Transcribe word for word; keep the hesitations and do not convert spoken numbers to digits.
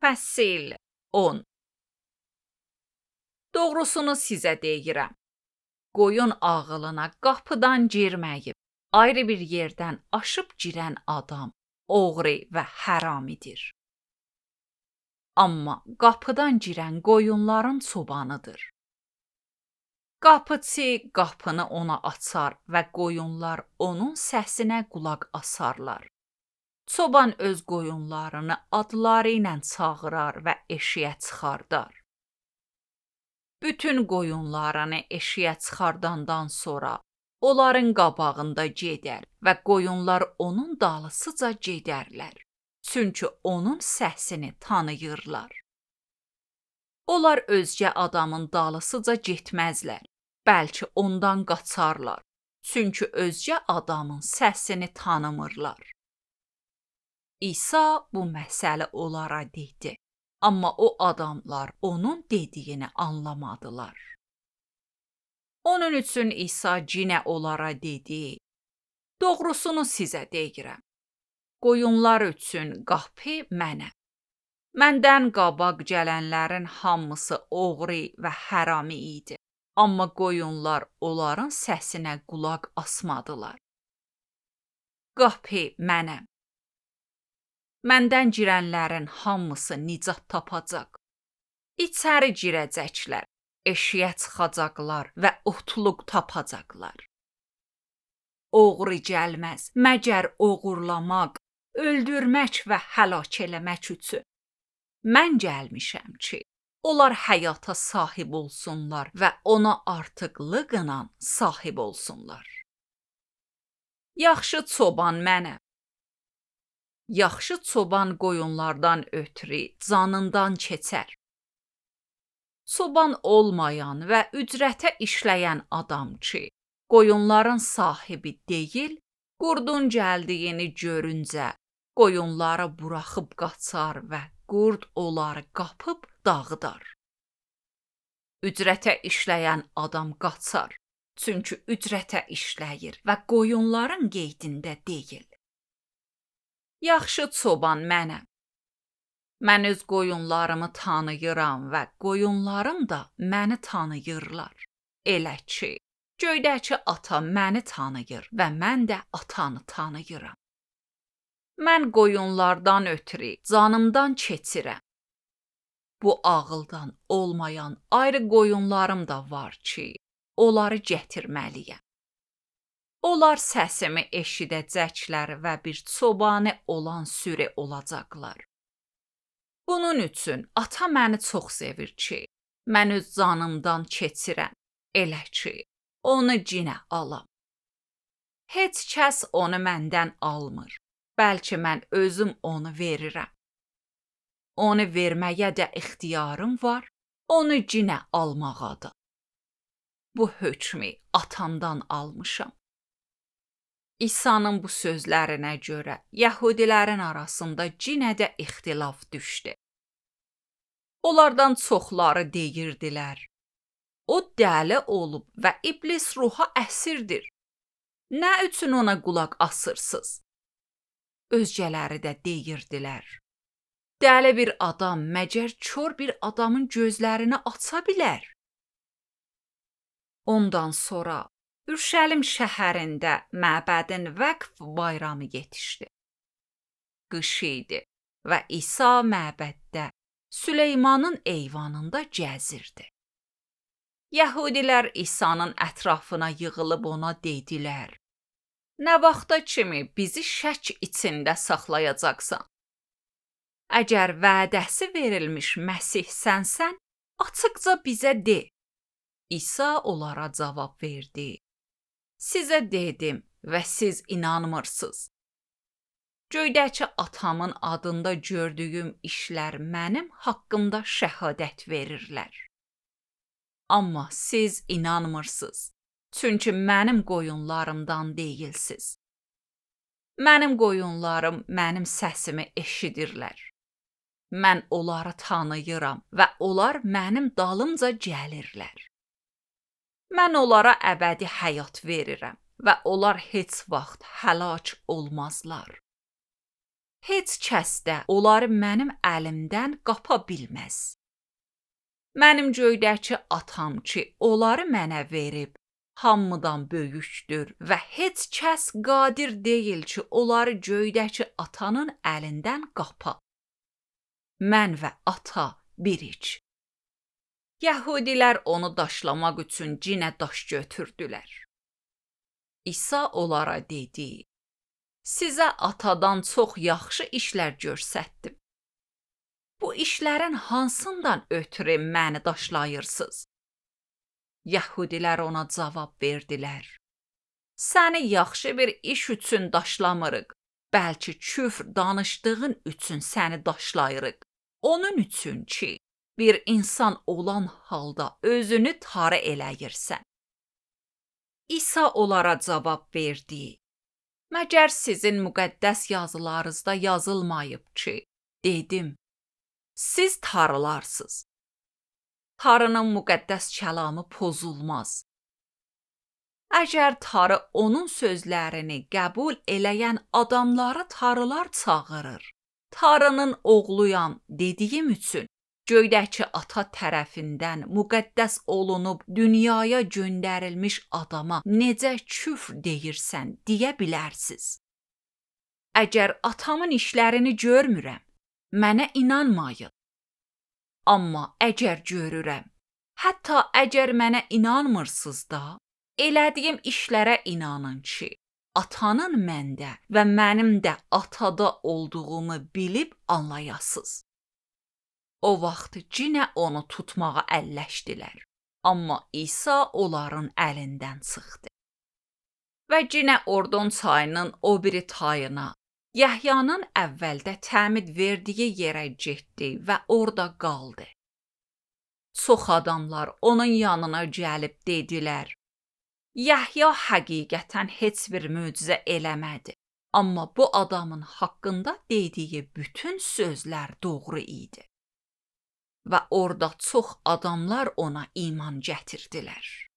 Fəsil on. Doğrusunu sizə deyirəm. Qoyun ağılına qapıdan girməyib, ayrı bir yerdən aşıb girən adam oğru və həramidir. Amma qapıdan girən qoyunların çobanıdır. Qapıçı qapını ona açar və qoyunlar onun səsinə qulaq asarlar. Çoban öz qoyunlarını adları ilə çağırar və eşiyə çıxardar. Bütün qoyunlarını eşiyə çıxardandan sonra onların qabağında gedər və qoyunlar onun dalısıca gedərlər. Çünki onun səsini tanıyırlar. Onlar özgə adamın dalısıca getməzlər, bəlkə ondan qaçarlar. Çünki özgə adamın səsini tanımırlar. İsa bu məsələ onlara dedi. Amma o adamlar onun dediyini anlamadılar. Onun üçün İsa yenə onlara dedi: Doğrusunu sizə deyirəm. Qoyunlar üçün qapı mənəm. Məndən qabaq gələnlərin hamısı oğru və hərami idi. Amma qoyunlar onların səsinə qulaq asmadılar. Qapı mənəm. Məndən girənlərin hamısı nicat tapacaq. İçəri girəcəklər, eşiyə çıxacaqlar və otluq tapacaqlar. Oğru gəlməz, məgər oğurlamaq, öldürmək və həlak eləmək üçün. Mən gəlmişəm ki, onlar həyata sahib olsunlar və ona artıqlıqla sahib olsunlar. Yaxşı çoban mənəm. Yaxşı çoban qoyunlardan ötürü canından keçər. Çoban olmayan və ücrətə işləyən adam ki, qoyunların sahibi deyil, qurdun gəldiyini görüncə qoyunları buraxıb qaçar və qurd onları qapıb dağıdar. Ücrətə işləyən adam qaçar, çünki ücrətə işləyir və qoyunların qeydində deyil. Yaxşı çoban mənəm. Mən öz qoyunlarımı tanıyıram və qoyunlarım da məni tanıyırlar. Elə ki, göydəki ata məni tanıyır və mən də atanı tanıyıram. Mən qoyunlardan ötürü canımdan keçirəm. Bu ağıldan olmayan ayrı qoyunlarım da var ki, onları gətirməliyəm. Onlar səsimi eşidəcəklər və bir çobanı olan sürü olacaqlar. Bunun üçün ata məni çox sevir ki, mən öz canımdan keçirəm, elə ki, onu cinə alam. Heç kəs onu məndən almır, bəlkə mən özüm onu verirəm. Onu verməyə də ixtiyarım var, onu cinə almağa da. Bu hökmü atamdan almışam. İsa'nın bu sözlərinə görə Yəhudilərin arasında yenə də ixtilaf düşdü. Onlardan çoxları deyirdilər: O dəli olub və iblis ruha əsirdir. Nə üçün ona qulaq asırsınız? Özgələri də deyirdilər: Dəli bir adam məgər kör bir adamın gözlərini aça bilər? Ondan sonra Ürşəlim şəhərində məbədin vəqf bayramı yetişdi. Qış idi və İsa məbəddə Süleymanın eyvanında gəzirdi. Yəhudilər İsa'nın ətrafına yığılıb ona dedilər: Nə vaxta kimi bizi şək içində saxlayacaqsan? Əgər vədəsi verilmiş Məsih sənsən, açıqca bizə de. İsa onlara cavab verdi: Sizə dedim və siz inanmırsınız. Göydəki atamın adında gördüyüm işlər mənim haqqımda şəhadət verirlər. Amma siz inanmırsınız, çünki mənim qoyunlarımdan deyilsiz. Mənim qoyunlarım mənim səsimi eşidirlər. Mən onları tanıyıram və onlar mənim dalımca gəlirlər. Mən onlara əbədi həyat verirəm və onlar heç vaxt həlak olmazlar. heç kəs də onları mənim əlimdən qapa bilməz. Mənim göydəki atam ki, onları mənə verib, hamıdan böyükdür və heç kəs qadir deyil ki, onları göydəki atanın əlindən qapa. Mən və ata birik. Yəhudilər onu daşlamaq üçün cinə daş götürdülər. İsa onlara dedi: Sizə atadan çox yaxşı işlər göstərdim. Bu işlərin hansından ötürü məni daşlayırsınız? Yəhudilər ona cavab verdilər: Səni yaxşı bir iş üçün daşlamırıq, bəlkə küfr danışdığın üçün səni daşlayırıq. Onun üçün ki, bir insan olan halda özünü tarı eləyirsən. İsa onlara cavab verdi: Məgər sizin müqəddəs yazılarınızda yazılmayıb ki, dedim, siz tarılarsınız. Tarının müqəddəs kəlamı pozulmaz. Əgər tarı onun sözlərini qəbul eləyən adamları tarılar çağırır, tarının oğluyam dediyim üçün göydəki ata tərəfindən müqəddəs olunub dünyaya göndərilmiş adama necə küfr deyirsən deyə bilərsiz. Əgər atamın işlərini görmürəm, mənə inanmayın. Amma əgər görürəm, hətta əgər mənə inanmırsınız da, elədiyim işlərə inanın ki, atanın məndə və mənim də atada olduğumu bilib anlayasınız. O vaxt cinə onu tutmağa əlləşdilər, amma İsa onların əlindən çıxdı. Və cinə Ordon çayının o biri tayına, Yəhyanın əvvəldə təmid verdiyi yerə getdi və orada qaldı. Çox adamlar onun yanına gəlib dedilər: Yəhya həqiqətən heç bir möcüzə eləmədi, amma bu adamın haqqında dediyi bütün sözlər doğru idi. Və orada çox adamlar ona iman gətirdilər.